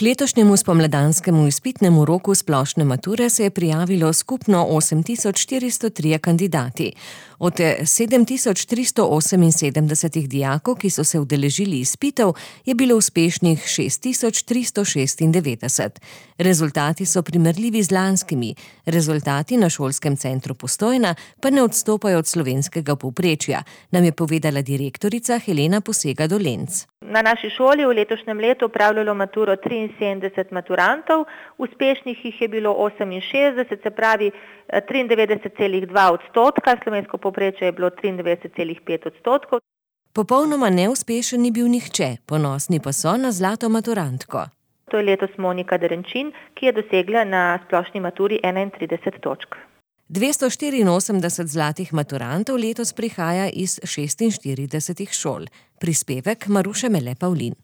K letošnjemu spomladanskemu izpitnemu roku splošne mature se je prijavilo skupno 8403 kandidati. Od 7378 dijakov, ki so se udeležili izpitov, je bilo uspešnih 6396. Rezultati so primerljivi z lanskimi. Rezultati na šolskem centru Postojna pa ne odstopajo od slovenskega povprečja, nam je povedala direktorica Helena Posega-Dolenc. Na naši šoli v letošnjem letu opravljalo maturo 73 maturantov, uspešnih jih je bilo 68, se pravi 93,2%, slovensko povprečje je bilo 93,5%. Popolnoma neuspešen ni bil nihče, ponosni pa so na zlato maturantko. To je letos Monika Derenčin, ki je dosegla na splošni maturi 31 točk. 284 zlatih maturantov letos prihaja iz 46 šol. Prispevek Maruše Mele Pavlin.